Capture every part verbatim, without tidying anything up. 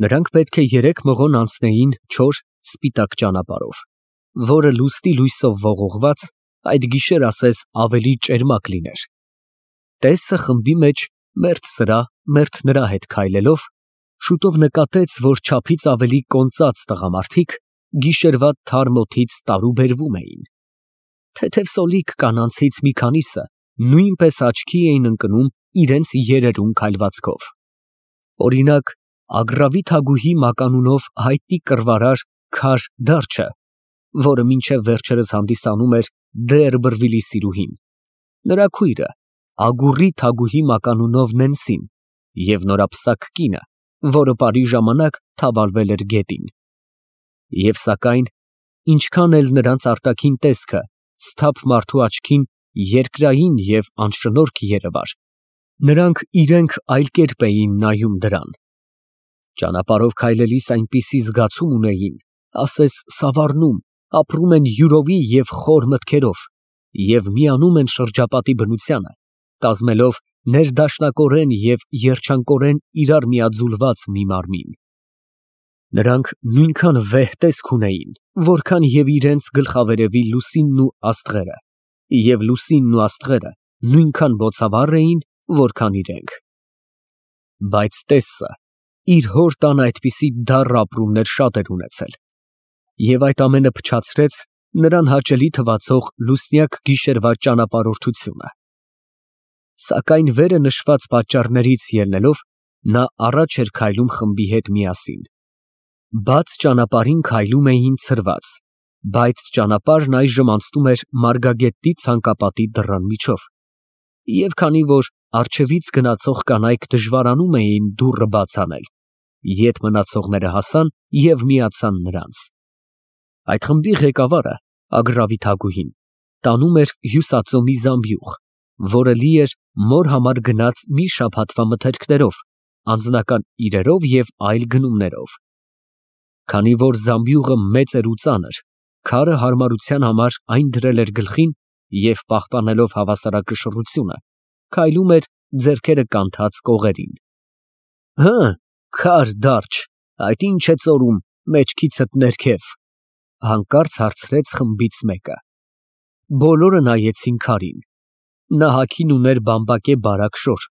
Նրանք պետք է երեք մղոն անցնեին չոր, սպիտակ ճանապարհով, որը լուսնի լույսով ողողված այդ գիշեր ասես ավելի ճերմակ լիներ։ Տեսը խմբի մեջ մերթ սրա, մերթ նրա հետ քայլելով, շուտով նկատեց, որ չափից ավելի կոնծած տղամարդիկ գիշերվա թարմ օդից տարուբերվում էին։ Թեթև սոլիկ կանանցից մի քանիսը նույնպես աչքի էին ընկնում իրենց երերուն քայլվածքով։ Օրինակ, Ագռավի Թագուհի մականունով հայտնի կռվարար Քար Դարջը, որը մինչև վերջերս հանդիսանում էր Դերբրվիլի սիրուհին, նրա քույրը Ագուռի Թագուհի մականունով Նենսին և նորապսակ կինը, որը պարի ժամանակ թավալվել էր գետին։ Եվ սակայն, ինչքան էլ նրանց արտաքին տեսքը սթափ մարդու աչքին երկրային և անշնորհք երևար, նրանք իրենք այլ կերպ էին նայում դրան։ Ճանապարհով քայլելիս այնպիսի զգացում ունեին, ասես սավառնում, ապրում են յուրովի և խոր մտքերով և միանում են շրջապատի բնությանը, կազմելով ներդաշնակորեն և երջանկորեն իրար միաձուլված մի մարմին։ Նրանք նույնքան վեհ տեսք ունեին, որքան և իրենց գլխավերևի լուսինն ու աստղերը, և լուսինն ու աստղերը նույնքան բոցավառ էին, որքան իրենք։ Բայց Տեսսը իր հոր տանը այդպիսի դառն ապրումներ շատ էր ունեցել, և այդ ամենը փչացրեց նրան հաճելի թվացող լուսնյակ գիշերվա ճանապարհորդությունը։ Սակայն վերը նշված պատճառներից ելնելով, նա առաջ էր քայլում խմբի հետ միասին։ Բաց ճանապարհին քայլում էին ցրված, բայց ճանապարհն այժմ անցնում էր մարգագետի ցանկապատի դռան միջով, և քանի որ առջևից գնացող կանայք դժվարանում էին դուռը բաց անել, ետ մնացողները հասան և միացան նրանց։ Այդ խմբի ղեկավարը, Ագռավի Թագուհին, տանում էր հյուսածո մի զամբյուղ, որը լի էր մոր համար գնած մի շաբաթվա մթերքներով, անձնական իրերով և այլ գնումներով։ Քանի որ զամբյուղը մեծ էր ու ծանր, քարը հարմարության համար այն դրել էր գլխին և, պահպանելով հավասարակշռությունը, քայլում էր ձեռքերը կանթած կողերին։ ֊ Հը, Քար Դարջ, այդ ի՞նչ է ծորում մեջքիցդ ներքև, ֊ հանկարծ հարցրեց խմբից մեկը։ Բոլորը նայեցին քարին։ Նա հագին ուներ բամբակե բարակ շոր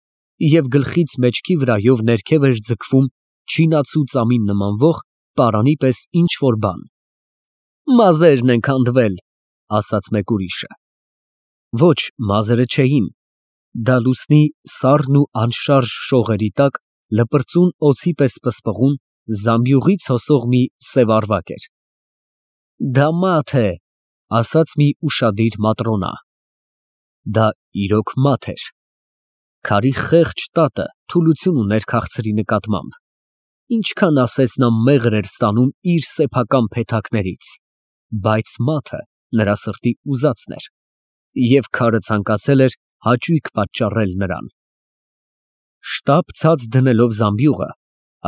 և գլխից մեջքի վրայով ներքև էր ձգվում չինացու ծամին նմանվող պարանի պես ինչ֊որ բան։ ֊ Մազերն են քանդվել, ֊ ասաց մեկ ուրիշը։ Ոչ, մազերը չէին, դա լուսնի սառն ու անշարժ շողերի տակ լպրծուն օձի պես պսպղուն զամբյուղից հոսող մի սև ավարակ էր։ ֊ Դա մաթ է, ֊ ասաց մի ուշադիր Մատրոնա։ Դա իրոք մաթ էր։ Քարի խեղճ տատը թուլություն ուներ քաղցրի նկատմամբ, ինչքան ասես նա մեղր էր ստանում իր սեփական փեթակներից, բայց մաթը նրա սրտի ուզածն էր, և քարը ցանկացել էր հաճույք պատճառել նրան։ Շտապ ցած դնելով զամբյուղը,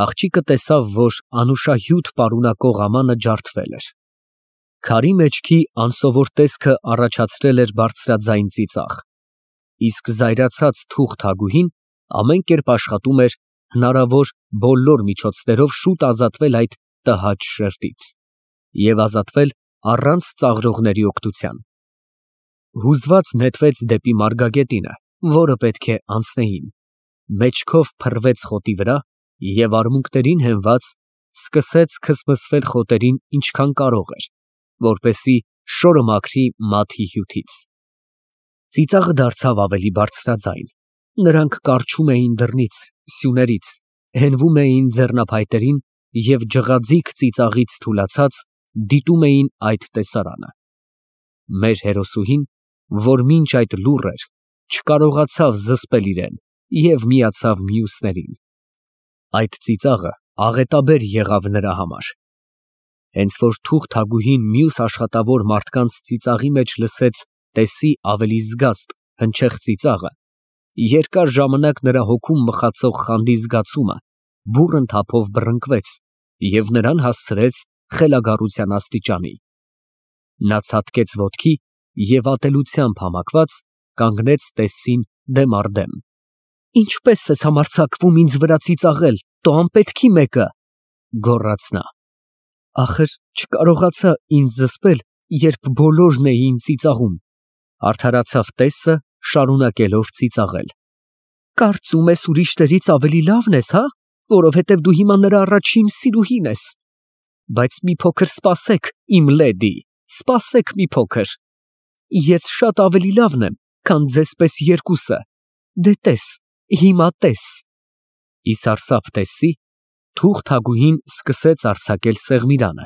աղջիկը տեսավ, որ անուշահյուդ պարունակող ամանը ջարդվել էր։ Քարի մեջքի անսովոր տեսքը առաջացրել էր բարձրաձայն ծիծաղ, իսկ զայրացած թուղ Թագուհին ամեն կերպ աշխատում էր հնարավոր բոլոր միջոցներով շուտ ազատվել այդ տհաճ շերտից և ազատվել առանց ծաղրողների օգնության։ Հուզված նետվեց դեպի մարգագետինը, որը պետք է անցնեին, մեջքով փռվեց խոտի վրա և արմունկներին հենված, սկսեց քսմսվել խոտերին ինչքան կարող էր, որպեսզի շորը մաքրի մաթի հյութից։ Ծիծաղը դարձավ ավելի բարձրաձայն, նրանք կառչում էին դռնից, սյուներից, հենվում էին ձեռնափայտերին և ջղաձիգ ծիծաղից թուլացած, դիտում էին այդ տեսարանը։ Մեր հերոսուհին, որ մինչ այդ լուռ էր, չկարողացավ զսպել իրեն և միացավ մյուսներին։ Այդ ծիծաղը աղետաբեր եղավ նրա համար։ Հենց որ թուղ Թագուհին մյուս աշխատավոր մարդկանց ծիծաղի մեջ լսեց Տեսի ավելի զգաստ, հնչեղ ծիծաղը, երկար ժամանակ նրա հոգում մխացող խանդի զգացումը բուռն թափով բռնկվեց և նրան հասցրեց խելագարության աստիճանի։ Նա ցատկեց ոտքի և ատելությամբ համակված կանգնեց Տեսսին դեմ առ դեմ։ ֊ Ինչպե՞ս ես համարձակվում ինձ վրա ծիծաղել, տո անպետքի մեկը, գոռաց նա։ Ախր չկարողացա ինձ զսպել, երբ բոլորն էին ծիծաղում, արդարացավ տեսը, շարունակելով ծիծաղել։ Կարծում ես ուրիշներից ավելի լավն ես, հա, որովհետև դու հիմա նրա առաջին սիրուհին ես։ Բայց մի փոքր սպասեք, իմ լեդի, սպասեք մի փոքր։ Ես շատ ավելի լավն եմ, քան ձեզ պես երկուսը։ Դե տես, հիմա տես։ Ի սարսափ տեսի, թուղթագուհին սկսեց արձակել սեղմիրանը։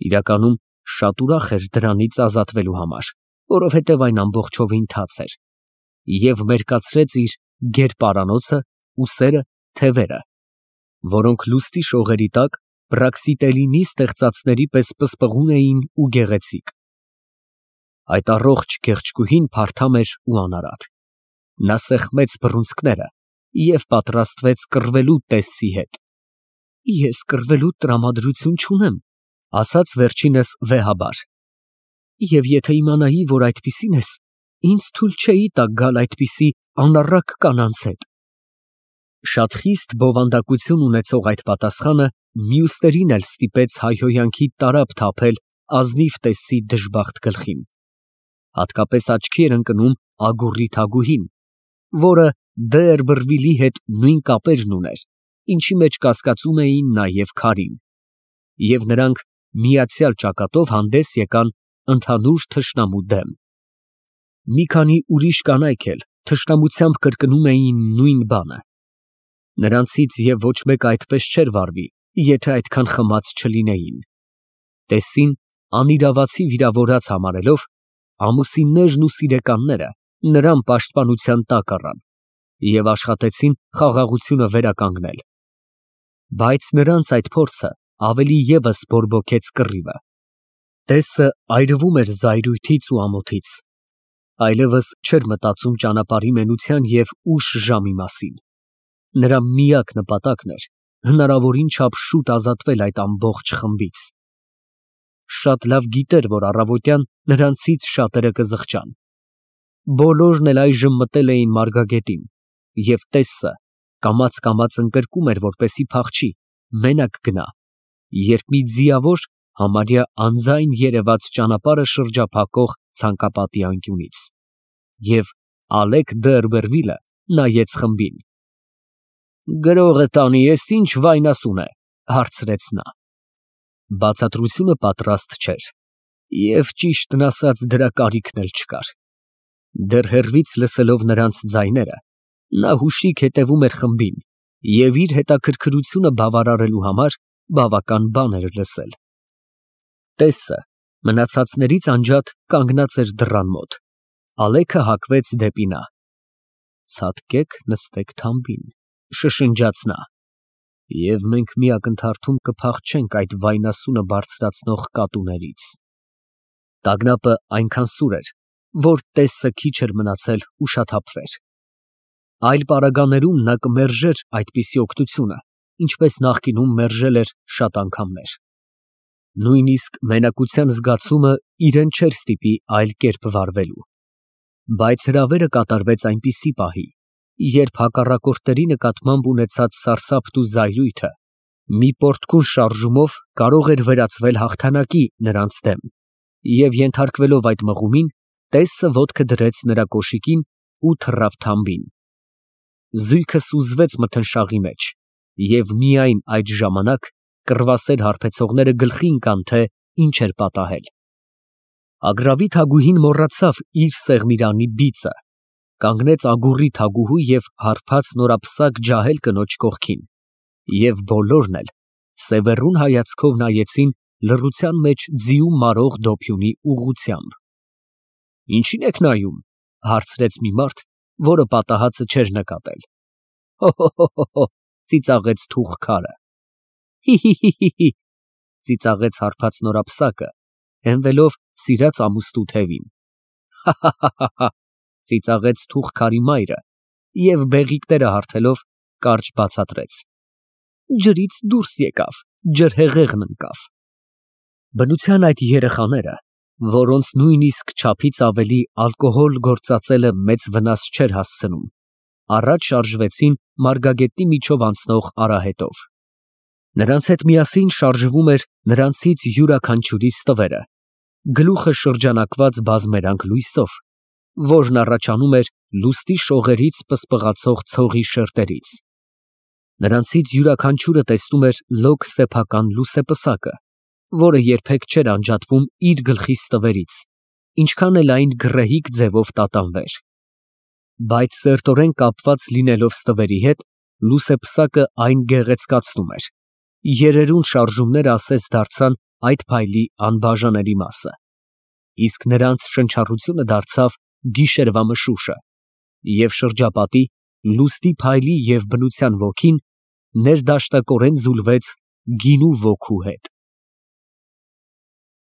Իրականում շատ ուրախ էր դրանից ազատվելու համար, որովհետև այն ամբողջովին թաց էր, և մերկացրեց իր գեր֊պարանոցը, ուսերը, թևերը, որոնք լուսնի շողերի տակ պրաքսիտելինի ստեղծածների պես պսպղուն էին ու գեղեցիկ։ Այդ առողջ գեղեցկուհին փարթամ էր ու անարատ։ Նա սեղմեց բռունցքները և պատրաստվեց կռվելու տեսցի հետ։ Ես կռվելու տրամադրություն չունեմ, ասաց վերջինս վեհաբար, և եթե իմանայի, որ այդպիսին ես, ինձ թույլ չէի տա գալ այդպիսի անառակ կանանց հետ։ Շատ խիստ բովանդակություն ունեցող այդ պատասխանը մյուսներին էլ ստիպեց հայհոյանքի տարափ թափել ազնիվ տեսցի դժբախտ գլխին։ Հատկապես աչքի էր ընկնում Ագուռի Թագուհին, որը Դերբրվիլի հետ նույն կապերն ուներ, ինչի մեջ կասկածում էին նաև Քարին, և նրանք միացյալ ճակատով հանդես եկան ընդհանուր թշնամու դեմ։ Մի քանի ուրիշ կանայք էլ թշնամությամբ կրկնում էին նույն բանը։ Նրանցից և ոչ մեկը այդպես չէր վարվի, եթե այդքան խմած չլինեին։ Տեսին անիրավացի վիրավորած համարելով, ամուսիններն ու սիրեկանները նրան պաշտպանության տակ առան և աշխատեցին խաղաղությունը վերականգնել։ Բայց նրանց այդ փորձը ավելի ևս բորբոքեց կռիվը։ Տեսը այրվում էր զայրույթից ու ամոթից, այլևս չէր մտածում ճանապարհի մենության և ուշ ժամի մասին։ Նրա միակ նպատակն էր հնարավորին չափ շուտ ազատվել այդ ամբողջ խմբից։ Շատ լավ գիտեր, որ առավոտյան նրանցից շատերը կզղջան։ Բոլորն էլ այժմ մտել էին Մարգագետին, և տեսը կամաց֊կամաց ընկրկում էր, որպեսզի փախչի, մենակ գնա, երբ մի ձիավոր համարյա անձայն երևաց ճանապարհը շրջափակող ցանկապատի անկյունից, և Ալեկ Դերբերվիլը նայեց խմբին։ «Գրողը տանի ես ինչ վայնասուն է, ֊ հարցրեց նա։ Բացատրությունը պատրաստ չէր, և ճիշտն ասած դրա կարիքն էլ չկար։ Դեռ հեռվից լսելով նրանց ձայները, նա հուշիկ հետևում էր խմբին և իր հետաքրքրությունը բավարարելու համար բավական բան էր լսել։ Տեսը մնացածներից անջատ կանգնած էր դռան մոտ։ Ալեքը հակվեց դեպի նա։ «Ցատկեք, նստեք թամբին, ֊ շշնջաց նա, ֊ և մենք մի ակնթարթում կփախչենք այդ վայնասունը բարձրացնող կատուներից»։ Տագնապը այնքան սուր էր, որ տեսը քիչ էր մնացել ուշաթափվեր։ Այլ պարագաներում նա կմերժեր այդպիսի օգնությունը, ինչպես նախկինում մերժել էր շատ անգամներ։ Նույնիսկ մենակության զգացումը իրեն չէր ստիպի այլ կերպ վարվելու։ Բայց հրավերը կատարվեց այնպիսի պահի, երբ հակառակորդների նկատմամբ ունեցած սարսափն ու զայրույթը մի պոռթկուն շարժումով կարող էր վերածվել հաղթանակի նրանց դեմ, և ենթարկվելով այդ մղումին, տեսը ոտքը դրեց նրա կոշիկին ու թռավ թամբին։ Զույգը սուզվեց մթնշաղի մեջ, և միայն այդ ժամանակ կռվասեր հարբեցողները գլխի ընկան, թե ինչ էր պատահել։ Ագռավի Թագուհին մոռացավ իր սեղմիրանի բիծը, կանգնեց Ագուռի Թագուհու և հարբած նորապսակ ջահել կնոջ կողքին, և բոլորն էլ սևեռուն հայացքով նայեցին լռության մեջ ձիու մարող դոփյունի ուղղությամբ։ «Ինչի՞ն եք նայում, ֊ հարցրեց մի մարդ, որը պատահածը չէր նկատել։ ֊ Հո՛֊հո՛֊հո՛, ֊ ծիծաղեց թուղթքարը։ ֊ Հի՛֊հի՛, ֊ ծիծաղեց հարբած նորապսակը, հենվելով սիրած ամուստու թևին։ ֊ Հա՛֊հա՛, ֊ ծիծաղեց թուղթքարի մայրը և բեղիկները հարթելով կարճ բացատրեց. ֊ Ջրից դուրս եկավ, ջրհեղեղն ընկավ։ Բնության այդ երեխաները, որոնց նույնիսկ չափից ավելի ալկոհոլ գործածելը մեծ վնաս չէր հասցնում, առաջ շարժվեցին Մարգագետի միջով անցնող արահետով։ Նրանց հետ միասին շարժվում էր նրանցից յուրաքանչյուրի ստվերը, գլուխը շրջանակված բազմերանգ լույսով, որն առաջանում էր լուստի շողերից պսպղացող ցողի շերտերից. նրանցից յուրաքանչյուրը տեսնում էր լոկ սեփական լուսեպսակը, որը երբեք չէր անջատվում իր գլխի ստվերից, ինչքան էլ այն գռեհիկ ձևով տատանվեր. բայց սերտորեն կապված լինելով ստվերի հետ, լուսեպսակը այն գեղեցկացնում էր, երերուն շարժումները ասես դարձան այդ փայլի անբաժանելի մասը, իսկ նրանց շնչառությունը դարձավ գիշերվա մշուշը, և շրջապատի, լուստի փայլի և բնության ոգին ներդաշնակորեն զուլվեց գինու ոգու հետ։